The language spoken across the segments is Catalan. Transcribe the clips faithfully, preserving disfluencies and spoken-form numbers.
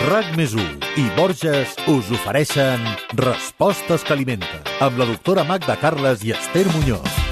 RAC més u i Borges us ofereixen Respostes que alimenten, amb la doctora Magda Carles i Esther Muñoz.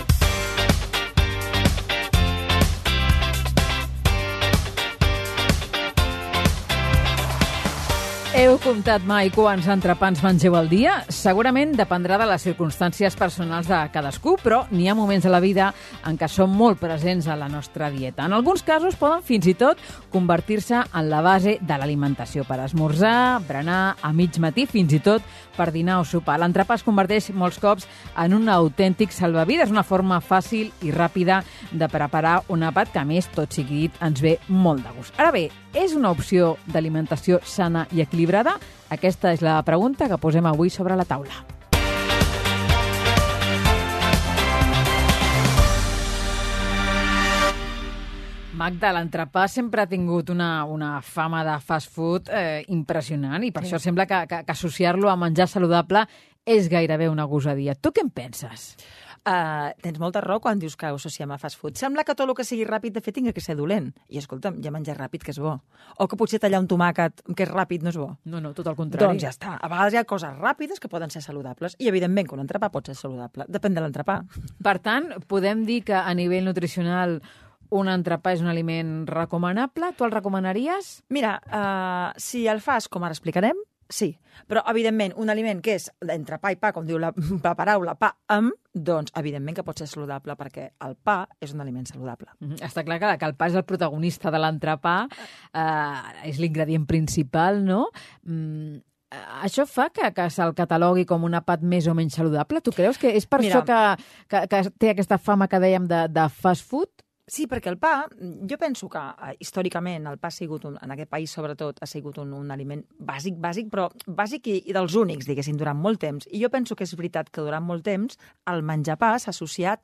Heu comptat mai quants entrepans mengeu al dia? Segurament dependrà de les circumstàncies personals de cadascú, però n'hi ha moments de la vida en què són molt presents a la nostra dieta. En alguns casos poden fins i tot convertir-se en la base de l'alimentació per esmorzar, berenar, a mig matí, fins i tot per dinar o sopar. L'entrepà es converteix molts cops en un autèntic salvavides, una forma fàcil i ràpida de preparar un àpat que, a més, tot sigui dit, ens ve molt de gust. Ara bé, és una opció d'alimentació sana i equilibrada? Aquesta és la pregunta que posem avui sobre la taula. Magda, l'entrepà sempre ha tingut una, una fama de fast food eh, impressionant i per sí. això sembla que, que, que associar-lo a menjar saludable és gairebé una gosadia. Tu què en penses? Uh, tens molta raó quan dius que ho associem a fast food. Sembla que tot el que sigui ràpid, de fet, tinga que ser dolent. I, escolta'm, ja menjar ràpid, que és bo. O que potser tallar un tomàquet, que és ràpid, no és bo. No, no, tot el contrari. Doncs ja està. A vegades hi ha coses ràpides que poden ser saludables. I, evidentment, que un entrepà pot ser saludable. Depèn de l'entrepà. Per tant, podem dir que a nivell nutricional un entrepà és un aliment recomanable? Tu el recomanaries? Mira, uh, si el fas com ara explicarem, sí, però, evidentment, un aliment que és entre pa i pa, com diu la, la paraula, pa amb, doncs, evidentment que pot ser saludable, perquè el pa és un aliment saludable. Mm-hmm. Està clar que, que el pa és el protagonista de l'entrepà, eh, és l'ingredient principal, no? Mm, això fa que, que se'l catalogui com un àpat més o menys saludable? Tu creus que és per Mira, això que, que, que té aquesta fama que dèiem de, de fast food? Sí, perquè el pa, jo penso que eh, històricament el pa ha sigut, un, en aquest país sobretot, ha sigut un, un aliment bàsic, bàsic, però bàsic i, i dels únics, diguéssim, durant molt temps. I jo penso que és veritat que durant molt temps el menjar pa s'ha associat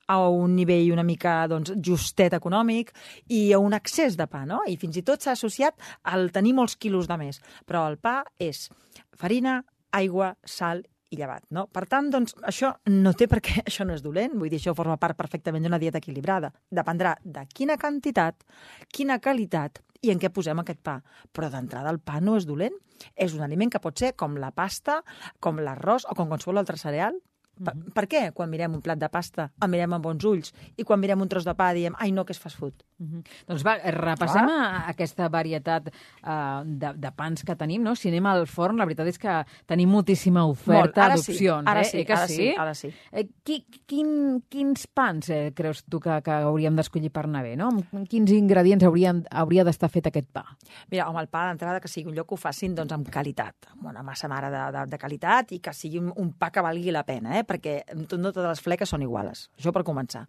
a un nivell una mica doncs, justet econòmic i a un excés de pa, no? I fins i tot s'ha associat al tenir molts quilos de més. Però el pa és farina, aigua, sal i llevat, no? Per tant, doncs, això no té per què, això no és dolent, vull dir, això forma part perfectament d'una dieta equilibrada. Dependrà de quina quantitat, quina qualitat i en què posem aquest pa. Però d'entrada el pa no és dolent, és un aliment que pot ser com la pasta, com l'arròs o com qualsevol altre cereal. Per, mm-hmm. per què quan mirem un plat de pasta el mirem amb bons ulls i quan mirem un tros de pa diem, ai no, que és fast food? Mm-hmm. Doncs va, repassem a aquesta varietat uh, de, de pans que tenim, no? Si anem al forn, la veritat és que tenim moltíssima oferta d'opcions. Sí, ara eh? sí, eh ara sí? sí, ara sí. Eh, qui, quin, quins pans eh, creus tu que, que hauríem d'escollir per anar bé, no? Amb quins ingredients haurien, hauria d'estar fet aquest pa? Mira, home, el pa d'entrada que sigui un lloc que ho facin doncs, amb qualitat, amb una massa mare de, de, de qualitat i que sigui un, un pa que valgui la pena, eh? Perquè no totes les fleques són iguales, això per començar.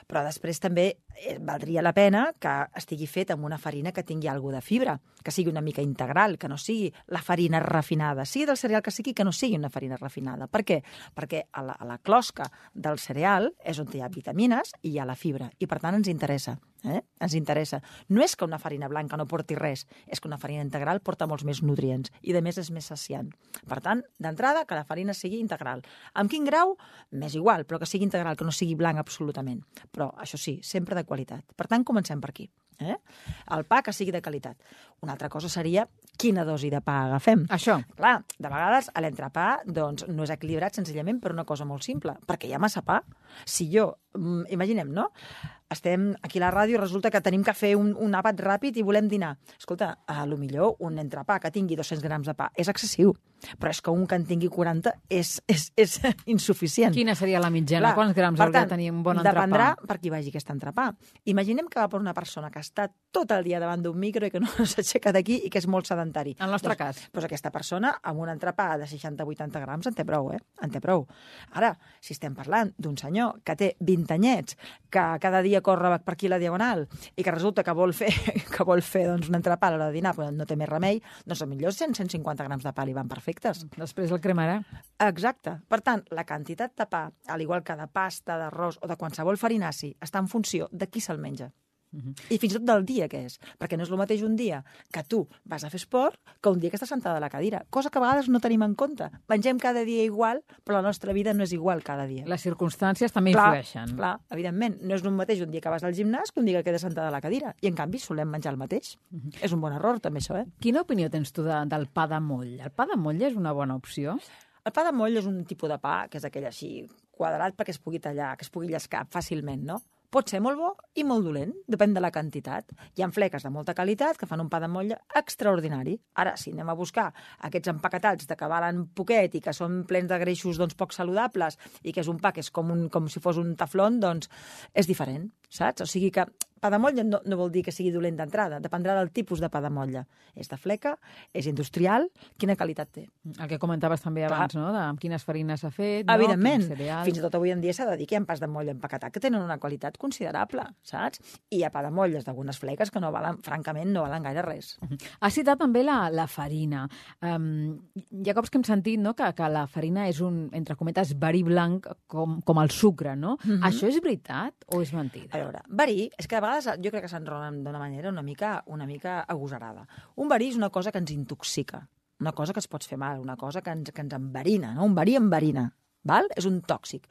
Però després també eh, valdria la pena que estigui fet amb una farina que tingui alguna de fibra, que sigui una mica integral, que no sigui la farina refinada, sigui del cereal que sigui, que no sigui una farina refinada. Per què? Perquè a la, a la closca del cereal és on hi ha vitamines i hi ha la fibra, i per tant ens interessa. Eh? Ens interessa. No és que una farina blanca no porti res, és que una farina integral porta molts més nutrients i, de més, és més saciant. Per tant, d'entrada, que la farina sigui integral. Amb quin grau? M'és igual, però que sigui integral, que no sigui blanc absolutament. Però, això sí, sempre de qualitat. Per tant, comencem per aquí. Eh? El pa que sigui de qualitat. Una altra cosa seria quina dosi de pa agafem. Això. Clar, de vegades l'entrepà doncs, no és equilibrat senzillament per una cosa molt simple, perquè hi ha massa pa. Si jo, imaginem, no? Estem aquí a la ràdio i resulta que tenim que fer un, un àpat ràpid i volem dinar. Escolta, a lo millor un entrepà que tingui dos-cents grams de pa és excessiu, però és que un que en tingui quaranta és, és, és insuficient. Quina seria la mitjana? Clar, quants grams hauria de tenir un bon entrepà? Dependrà per qui vagi aquest entrepà. Imaginem que va per una persona que està tot el dia davant d'un micro i que no s'aixeca d'aquí i que és molt sedentari. En el nostre doncs, cas. Doncs aquesta persona amb un entrepà de seixanta a vuitanta grams en té prou, eh? En té prou. Ara, si estem parlant d'un senyor que té vint anyets, que cada dia corre per aquí la diagonal i que resulta que vol fer, que vol fer doncs, un entrepà a l'hora de dinar, però no té més remei, doncs millor cent a cent cinquanta grams de pa li van perfectes. Després el cremarà. Exacte. Per tant, la quantitat de pa, al igual que de pasta, d'arròs o de qualsevol farinaci, està en funció de qui se'l menja. Uh-huh. I fins i tot del dia que és, perquè no és el mateix un dia que tu vas a fer esport que un dia que estàs sentada a la cadira, cosa que a vegades no tenim en compte. Mengem cada dia igual, però la nostra vida no és igual cada dia. Les circumstàncies també clar, influeixen. Clar, evidentment. No és el mateix un dia que vas al gimnàs que un dia que quedes sentada a la cadira. I, en canvi, solem menjar el mateix. Uh-huh. És un bon error, també, això, eh? Quina opinió tens tu de, del pa de moll? El pa de moll és una bona opció? El pa de moll és un tipus de pa que és aquell així quadrat perquè es pugui tallar, que es pugui llescar fàcilment, no? Pot ser molt bo i molt dolent, depèn de la quantitat. Hi ha fleques de molta qualitat que fan un pa de molla extraordinari. Ara, si anem a buscar aquests empaquetats de que valen poquet i que són plens de greixos doncs, poc saludables i que és un pa que és com, un, com si fos un taflón, doncs és diferent, saps? O sigui que pa de motlla no, no vol dir que sigui dolent d'entrada, dependrà del tipus de pa de motlla. És de fleca, és industrial, quina qualitat té. El que comentaves també Clar. abans, no?, de amb quines farines s'ha fet, no? Evidentment, Quin cereal. fins i tot avui en dia s'ha de dir que hi ha pas de molla empaquetat que tenen una qualitat considerable, saps? I hi ha pa de motlles d'algunes fleques que no valen, francament, no valen gaire res. Has citat també la, la farina. Um, hi ha cops que hem sentit, no?, que, que la farina és un, entre cometes, verí blanc com, com el sucre, no? Mm-hmm. Això és veritat o és mentida? A veure, verí, és que a vegades jo crec que s'enrolen d'una manera una mica, una mica agosarada. Un verí és una cosa que ens intoxica, una cosa que es pot fer mal, una cosa que ens, que ens enverina, no? Un verí enverina, val? És un tòxic.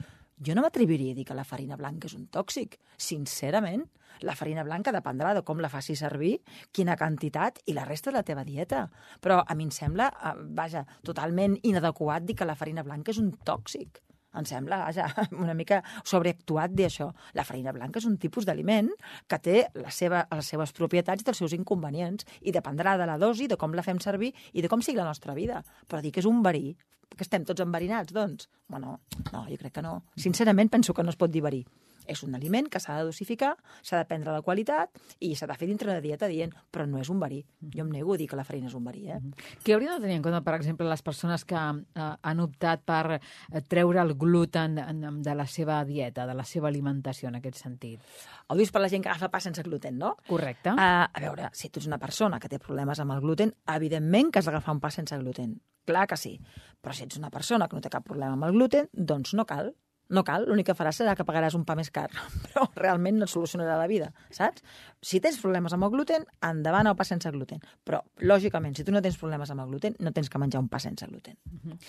Jo no m'atreviria a dir que la farina blanca és un tòxic. Sincerament, la farina blanca dependrà de com la facis servir, quina quantitat i la resta de la teva dieta. Però a mi em sembla, vaja, totalment inadequat dir que la farina blanca és un tòxic. Em sembla, vaja, una mica sobreactuat dir això. La farina blanca és un tipus d'aliment que té la seva, les seves propietats i els seus inconvenients i dependrà de la dosi, de com la fem servir i de com sigui la nostra vida. Però dir que és un verí, que estem tots enverinats, doncs, bueno, no, jo crec que no. Sincerament penso que no es pot dir verí. És un aliment que s'ha de dosificar, s'ha de prendre la qualitat i s'ha de fer dintre de dieta dient, però no és un verí. Jo em nego a dir que la farina és un verí, eh? Què hauríem de tenir en compte, per exemple, les persones que eh, han optat per eh, treure el gluten de la seva dieta, de la seva alimentació, en aquest sentit? Ho dius per la gent que agafa pa sense gluten, no? Correcte. Uh, a veure, si tu ets una persona que té problemes amb el gluten, evidentment que has d'agafar un pa sense gluten. Clar que sí. Però si ets una persona que no té cap problema amb el gluten, doncs no cal. No cal, l'únic que faràs serà que pagaràs un pa més car, però realment no et solucionarà la vida, saps? Si tens problemes amb el gluten, endavant el pa sense gluten. Però, lògicament, si tu no tens problemes amb el gluten, no tens que menjar un pa sense gluten,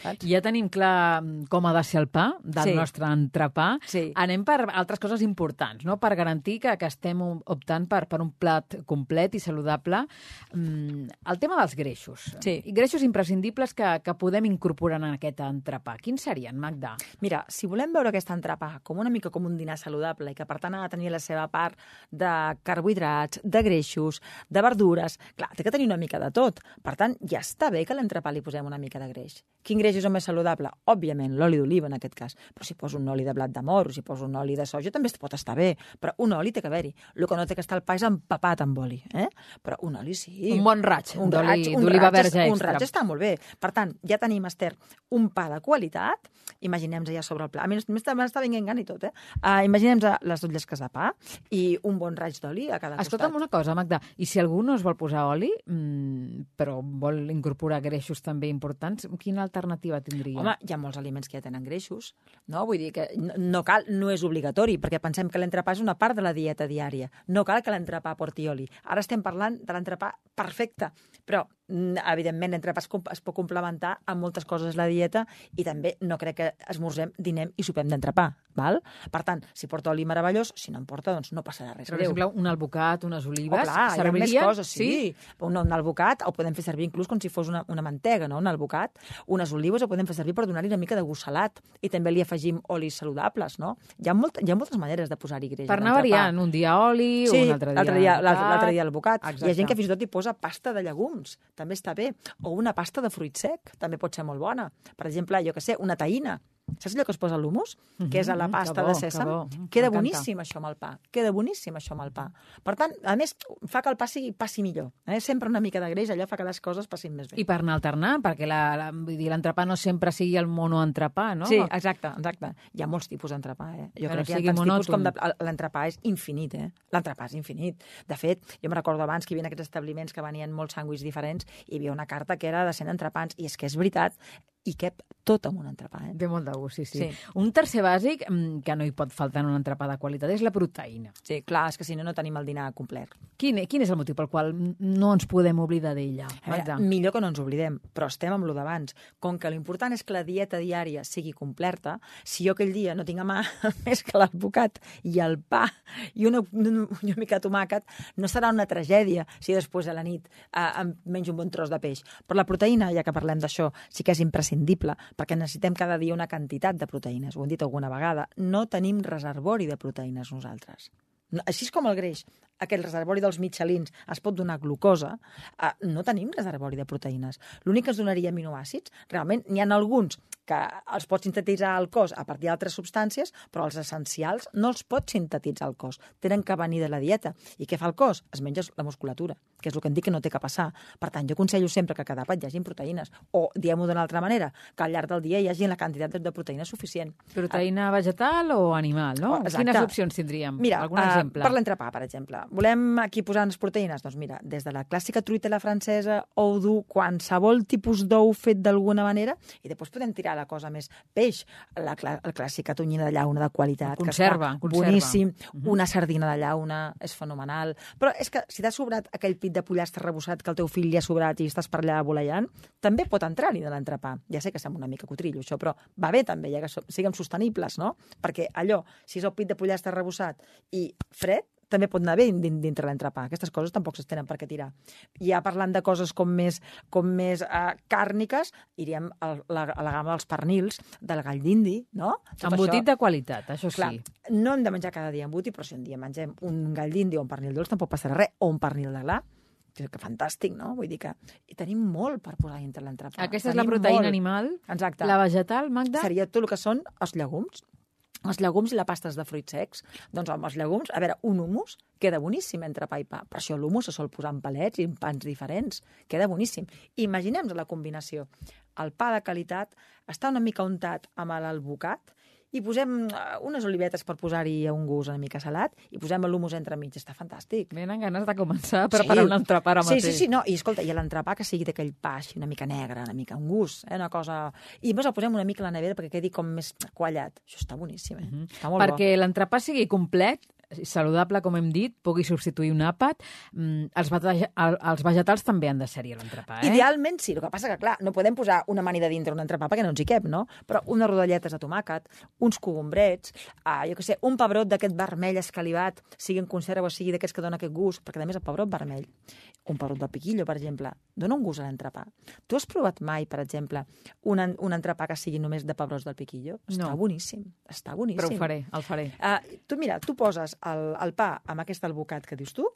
saps? Ja tenim clar com ha de ser el pa del Sí. nostre entrepà. Sí. Anem per altres coses importants, no?, per garantir que, que estem optant per, per un plat complet i saludable. Mm, el tema dels greixos. Sí. I greixos imprescindibles que, que podem incorporar en aquest entrepà. Quins serien, Magda? Mira, si volem veure aquest entrepà com una mica com un dinar saludable i que per tant ha de tenir la seva part de carbohidrats, de greixos, de verdures, clar, té que tenir una mica de tot. Per tant, ja està bé que a l'entrepà li posem una mica de greix. Quin greix és el més saludable? Òbviament, l'oli d'oliva en aquest cas. Però si poso un oli de blat de moro, si poso un oli de soja, també pot estar bé. Però un oli té que haver-hi. El que no té que estar el pa és empapat amb oli. Eh? Però un oli sí. Un bon raig un d'oli- raig, un d'oliva raig verge és- Un extra. raig està molt bé. Per tant, ja tenim, Esther, un pa de qualitat. Imaginem-nos ja sobre el pla. A mi m'està m'està venint gana i tot, eh? Uh, Imaginem-nos les dues llesques de pa i un bon raig d'oli a cada Escolta'm costat. una cosa, Magda, i si algú no es vol posar oli, mmm, però vol incorporar greixos també importants, quina alternativa tindria? Home, hi ha molts aliments que ja tenen greixos, no? Vull dir que no, no cal, no és obligatori, perquè pensem que l'entrepà és una part de la dieta diària. No cal que l'entrepà porti oli. Ara estem parlant de l'entrepà perfecte, però mm, evidentment l'entrepà es, com- es pot complementar amb moltes coses la dieta i també no crec que esmorzem, dinem i sopem d'entrepà, val? Per tant, si porta oli meravellós, si no en porta, doncs no passarà res Per greu. exemple, un albocat, unes olives, Oh, clar, hi ha més servirien? coses, sí. Un, un albocat el podem fer servir inclús com si fos una, una mantega, no? Un albocat. Unes olives el podem fer servir per donar-li una mica de gust salat i també li afegim olis saludables, no? Hi ha, molt, hi ha moltes maneres de posar-hi greix. Per a anar l'entrepà. variant, un dia oli, Sí, un altre dia l'altre dia, l'altre albocat. l'altre dia albocat. Hi Exacte. ha gent que fins i tot hi posa pasta de llegums, també està bé. O una pasta de fruit sec, també pot ser molt bona. Per exemple, jo que sé, una taïna. Saps allò que es posa a l'humus? Que és a la Mhm, pasta que bo, de que sèsam? bo. Queda M'encanta. boníssim això amb el pa. Queda boníssim això amb el pa. Per tant, a més, fa que el pa sigui, passi millor. Eh? Sempre una mica de greix, allò fa que les coses passin més bé. I per anar alternant, perquè la, la, vull dir, l'entrepà no sempre sigui el monoentrepà, no? Sí, exacte, exacte. Hi ha molts tipus d'entrepà, eh? Jo Que no crec que hi ha sigui tants tipus monòton. com de... L'entrepà és infinit, eh? L'entrepà és infinit. De fet, jo me recordo abans que hi havia aquests establiments que venien molts sàndwichs diferents i hi havia una carta que era de cent entrepans i és que és veritat, i cap tot amb un entrepà. Eh? Té molt de gust, sí, sí, Sí. Un tercer bàsic mm, que no hi pot faltar en un entrepà de qualitat és la proteïna. Sí, clar, és que si no, no tenim el dinar complet. Quin, quin és el motiu pel qual no ens podem oblidar d'ella? A veure, millor que no ens oblidem, però estem amb lo d'abans. Com que l'important és que la dieta diària sigui completa, si jo aquell dia no tinc a mà més que l'advocat i el pa i una, una, una mica de tomàquet, no serà una tragèdia si després a la nit eh, em menjo un bon tros de peix. Però la proteïna, ja que parlem d'això, sí que és imprescindible, perquè necessitem cada dia una quantitat de proteïnes. Ho hem dit alguna vegada. No tenim reservori de proteïnes nosaltres. No, així és com el greix. Aquell reservori dels mitjalins es pot donar glucosa. Eh, no tenim reservori de proteïnes. L'únic que ens donaria aminoàcids, realment n'hi ha alguns que els pot sintetitzar el cos a partir d'altres substàncies, però els essencials no els pot sintetitzar el cos. Tenen que venir de la dieta. I què fa el cos? Es menja la musculatura, que és el que em dic que no té que passar. Per tant, jo aconsello sempre que a cada àpat hi hagi proteïnes. O, diguem-ho d'una altra manera, que al llarg del dia hi hagi la quantitat de proteïna suficient. Proteïna vegetal o animal, no? Exacte. Quines opcions tindríem? Mira, Algun uh, exemple? per l'entrepà, per exemple. Volem aquí posar unes proteïnes? Doncs mira, des de la clàssica truita a la francesa, ou dur, qualsevol tipus d'ou fet d'alguna manera, i després podem tirar la cosa més peix, la, clà la clàssica tonyina de llauna de qualitat, Conserva, que està conserva. boníssim, Uh-huh. una sardina de llauna, és fenomenal. Però és que si t'ha sobrat aquell pit de pollastre rebossat que el teu fill li ha sobrat i estàs per allà voleiant, també pot entrar-hi de l'entrepà. Ja sé que sembla una mica cotrillo, això, però va bé també, ja que so siguem sostenibles, no? Perquè allò, si és el pit de pollastre rebossat i fred, també pot anar bé dintre l'entrepà. Aquestes coses tampoc es tenen per què tirar. Ja parlant de coses com més, com més uh, càrniques, iríem a la, a la gamma dels pernils, del gall d'indi, no? Tot Embotit això, de qualitat, això clar, sí. no hem de menjar cada dia embotit, però si un dia mengem un gall d'indi o un pernil dolç, tampoc passarà res, o un pernil de gla, que fantàstic, no? Vull dir que i tenim molt per posar dintre l'entrepà. Aquesta és la Tenim proteïna molt. animal. Exacte. La vegetal, Magda? Seria tot el que són els llegums. Els llegums i la pastes de fruits secs. Doncs amb els llegums, a veure, un hummus queda boníssim entre pa i pa. Per això l'hummus se sol posar en palets i en pans diferents. Queda boníssim. Imaginem-nos la combinació. El pa de qualitat està una mica untat amb l'alvocat i posem unes olivetes per posar-hi un gust una mica salat i posem l'hummus entremig. Està fantàstic. Venen ganes de començar a preparar sí. un entrepà ara mateix. Sí, sí, sí, no. I escolta, i l'entrepà que sigui d'aquell pa així una mica negre, una mica un gust, eh? Una cosa... I més el posem una mica a la nevera perquè quedi com més quallat. Això està boníssim, eh? Mm-hmm. Està molt perquè bo. l'entrepà sigui complet, saludable, com hem dit, pugui substituir un àpat, mm, els, els vegetals també han de ser-hi a l'entrepà, eh? Idealment sí, el que passa que, clar, no podem posar una amanida dintre un entrepà perquè no ens hi cap, no? Però unes rodelletes de tomàquet, uns cogombrets, uh, jo què sé, un pebrot d'aquest vermell escalivat, sigui en conserva o sigui d'aquests que dona aquest gust, perquè a més el pebrot vermell, un pebrot del piquillo, per exemple, dona un gust a l'entrepà. Tu has provat mai, per exemple, un, un entrepà que sigui només de pebrots del piquillo? Està no. boníssim, està boníssim. Però ho faré, el faré. Uh, tu mira, tu poses el, el pa amb aquest alvocat que dius tu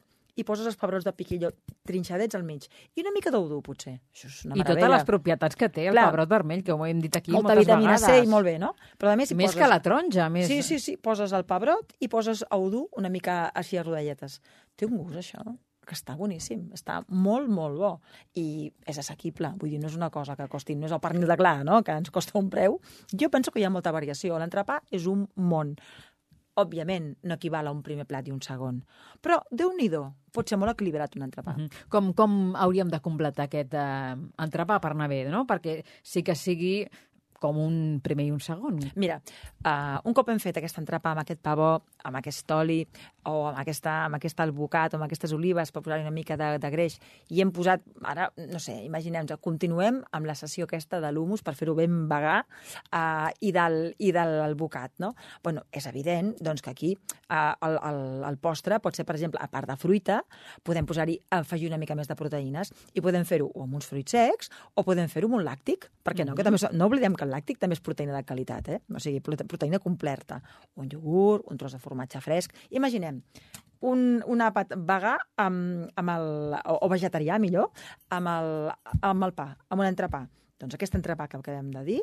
i poses els pebrots de piquillo trinxadets al mig. I una mica d'ou dur, potser. Això és una I meravella. totes les propietats que té el Clar. pebrot vermell, que ho hem dit aquí Molta moltes vitamina vegades. C i molt bé, no? Però a més, si més poses... que la taronja, més... Sí, sí, sí. Poses el pebrot i poses ou dur una mica així a rodelletes. Té un gust, això, que està boníssim. Està molt, molt bo. I és assequible. Vull dir, no és una cosa que costi... No és el pernil de gla, no?, que ens costa un preu. Jo penso que hi ha molta variació. L'entrepà és un món. Òbviament, no equival a un primer plat i un segon. Però, Déu-n'hi-do, pot ser molt equilibrat un entrepà. Uh-huh. Com, com hauríem de completar aquest eh, entrepà per anar bé, no? Perquè sí que sigui com un primer i un segon. Mira, uh, un cop hem fet aquest entrepà amb aquest pa bo, amb aquest oli, o amb aquesta, amb aquest alvocat, o amb aquestes olives, per posar-hi una mica de, de greix, i hem posat, ara, no sé, imaginem-nos, continuem amb la sessió aquesta de l'humus per fer-ho ben vegà, uh, i del, i de l'alvocat, no? Bueno, és evident, doncs, que aquí uh, el, el, el postre pot ser, per exemple, a part de fruita, podem posar-hi, afegir una mica més de proteïnes, i podem fer-ho amb uns fruits secs, o podem fer-ho amb un làctic, perquè no? Mm-hmm. Que també, no oblidem que el làctic també és proteïna de qualitat, eh? O sigui, proteïna completa. Un iogurt, un tros de formatge fresc. Imaginem un, un àpat vegà amb, amb el, o, o vegetarià, millor, amb el, amb el pa, amb un entrepà. Doncs aquest entrepà que acabem de dir,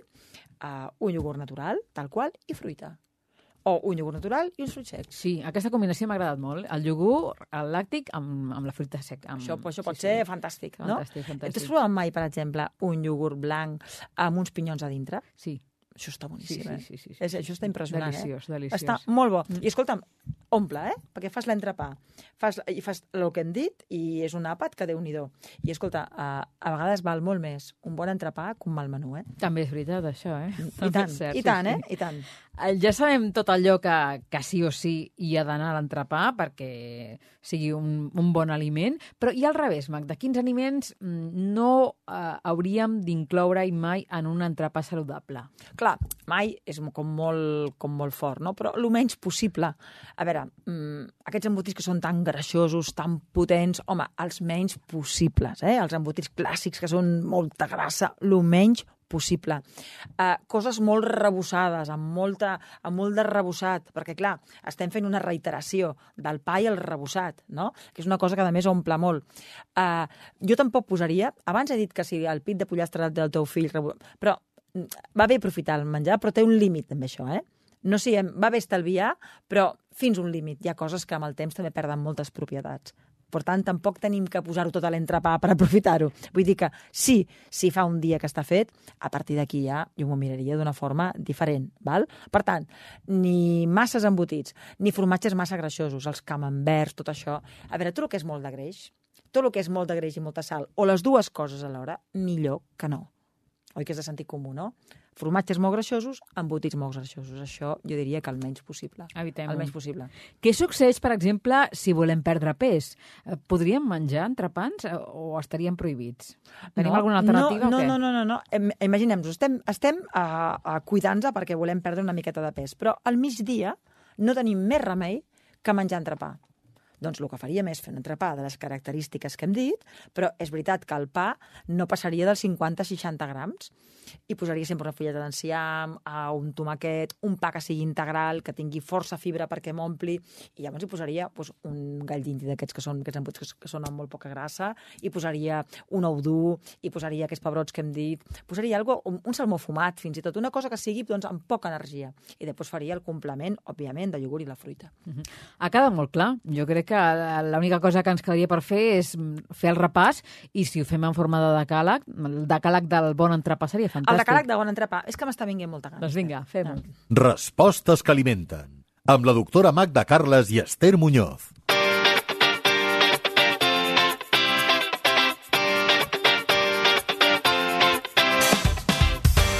uh, un iogurt natural, tal qual, i fruita. O un iogurt natural i uns fruits secs. Sí, aquesta combinació m'ha agradat molt. El iogurt, el làctic, amb, amb la fruita seca. Amb... Això, això pot sí, ser sí. fantàstic, Fantàstic, no? fantàstic. T'has provat mai, per exemple, un iogurt blanc amb uns pinyons a dintre? Sí. Això està boníssim, sí, eh? Sí, sí, sí, sí. És, això està impressionant, deliciós, eh? Deliciós, Està molt bo. I escolta'm, omple, eh? Perquè fas l'entrepà, fas, i fas el que hem dit, i és un àpat que Déu-n'hi-do. I escolta, a, a vegades val molt més un bon entrepà que un mal menú, eh? També és veritat, això, eh? I tant, cert, i tant, sí, eh? I tant. Ja sabem tot allò que, que sí o sí hi ha d'anar a l'entrepà perquè sigui un, un bon aliment, però i al revés, Magda, quins aliments no eh, hauríem d'incloure mai en un entrepà saludable? Clar, mai és com molt, com molt fort, no? Però el menys possible. A veure, mmm, aquests embotits que són tan greixosos, tan potents, home, els menys possibles, eh? Els embotits clàssics que són molta grassa, el menys possible. Uh, coses molt rebossades, amb, molta, amb molt de rebossat, perquè, clar, estem fent una reiteració del pa i el rebossat, no? Que és una cosa que, a més, omple molt. Uh, jo tampoc posaria... Abans he dit que si el pit de pollastre del teu fill... Però va bé aprofitar el menjar, però té un límit, també, això, eh? No sé, va bé estalviar, però fins un límit. Hi ha coses que amb el temps també perden moltes propietats. Per tant, tampoc tenim que posar-ho tot a l'entrepà per aprofitar-ho. Vull dir que sí, si fa un dia que està fet, a partir d'aquí ja jo m'ho miraria d'una forma diferent. Val? Per tant, ni masses embotits, ni formatges massa greixosos, els camemberts, tot això. A veure, tot el que és molt de greix, tot el que és molt de greix i molta sal, o les dues coses alhora, millor que no. Oi que és de sentit comú, no? Formatges molt greixosos, embotits molt greixosos. Això jo diria que el menys possible. Evitem-ho. El menys possible. Què succeeix, per exemple, si volem perdre pes? Podríem menjar entrepans o estaríem prohibits? Tenim no, alguna alternativa no, o què? No, no, no, no. Imaginem-nos, estem, estem a, a cuidant-nos perquè volem perdre una miqueta de pes, però al migdia no tenim més remei que menjar entrepà. Doncs el que faríem és fer un entrepà de les característiques que hem dit, però és veritat que el pa no passaria dels cinquanta a seixanta grams. I posaria sempre una fulleta d'enciam, un tomàquet, un pa que sigui integral, que tingui força fibra perquè m'ompli, i llavors hi posaria doncs, un gall d'indi d'aquests que són, que, que són amb molt poca grassa, i posaria un ou dur, i posaria aquests pebrots que hem dit, posaria algo, un, un salmó fumat, fins i tot, una cosa que sigui doncs, amb poca energia. I després faria el complement, òbviament, de iogurt i la fruita. Uh-huh. Ha quedat molt clar. Jo crec que l'única cosa que ens quedaria per fer és fer el repàs, i si ho fem en forma de decàleg, el decàleg del bon entrepà seria fantàstic. El decàleg de bon entrepà. És que m'està vinguent molta gana. Doncs vinga, fem-ho. Respostes que alimenten. Amb la doctora Magda Carles i Esther Muñoz.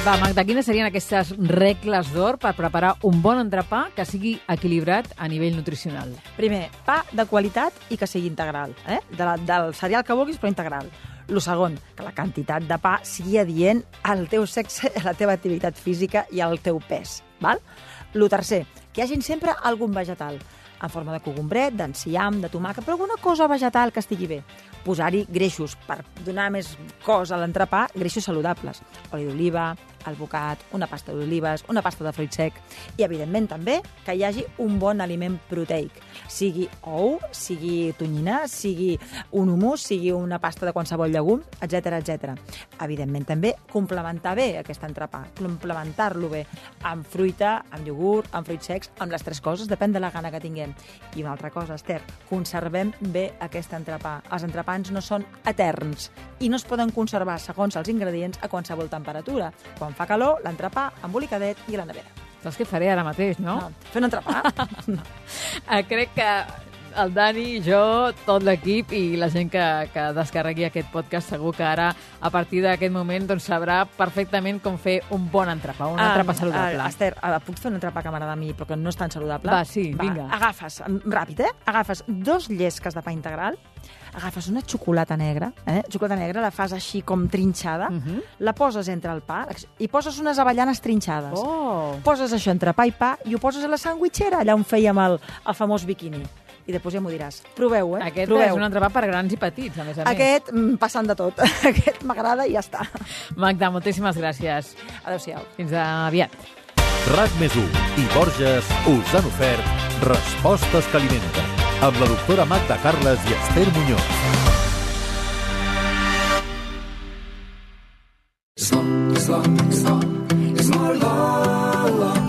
Va, Magda, quines serien aquestes regles d'or per preparar un bon entrepà que sigui equilibrat a nivell nutricional? Primer, pa de qualitat i que sigui integral. Eh? De la, del cereal que vulguis, però integral. Lo segon, que la quantitat de pa sigui adient al teu sexe, a la teva activitat física i al teu pes. Val? Lo tercer, que hi hagi sempre algun vegetal, en forma de cogombret, d'enciam, de tomàquet, però alguna cosa vegetal que estigui bé. Posar-hi greixos, per donar més cos a l'entrepà, greixos saludables. Oli d'oliva, alvocat, una pasta d'olives, una pasta de fruit sec i, evidentment, també que hi hagi un bon aliment proteic. Sigui ou, sigui tonyina, sigui un hummus, sigui una pasta de qualsevol llegum, etcètera, etcètera. Evidentment, també complementar bé aquest entrepà, complementar-lo bé amb fruita, amb iogurt, amb fruits secs, amb les tres coses, depèn de la gana que tinguem. I una altra cosa, Esther, conservem bé aquest entrepà. Els entrepans no són eterns i no es poden conservar segons els ingredients a qualsevol temperatura. Quan fa calor, l'entrepà embolicadet i a la nevera. Saps què faré ara mateix, no? No, fer un entrepà? No. Crec que el Dani, jo, tot l'equip i la gent que, que descarregui aquest podcast segur que ara, a partir d'aquest moment, doncs, sabrà perfectament com fer un bon entrepà, un entrepà saludable. Uh, Esther, uh, puc fer un entrepà que m'agrada a mi, però que no és tan saludable? Va, sí, Va, vinga. Agafes, ràpid, eh? Agafes dos llesques de pa integral, agafes una xocolata negra, eh? Xocolata negra, la fas així com trinxada, uh -huh. la poses entre el pa i poses unes avellanes trinxades. Oh. Poses això entre pa i pa i ho poses a la sandwitxera, allà on fèiem el, el famós biquini. I després ja m'ho diràs. Proveu, eh? Aquest Proveu. és un entrepà per grans i petits, a més a més. Aquest, passant de tot. Aquest m'agrada i ja està. Magda, moltíssimes gràcies. Adéu-siau. Fins aviat. RAC més u i Borges us han ofert Respostes que alimenten amb la doctora Magda Carles i Esther Muñoz.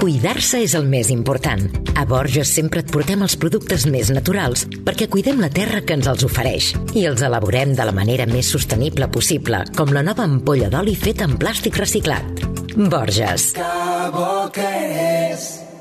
Cuidar-se és el més important. A Borges sempre et portem els productes més naturals perquè cuidem la terra que ens els ofereix i els elaborem de la manera més sostenible possible, com la nova ampolla d'oli feta en plàstic reciclat. Borges. Que bo que és.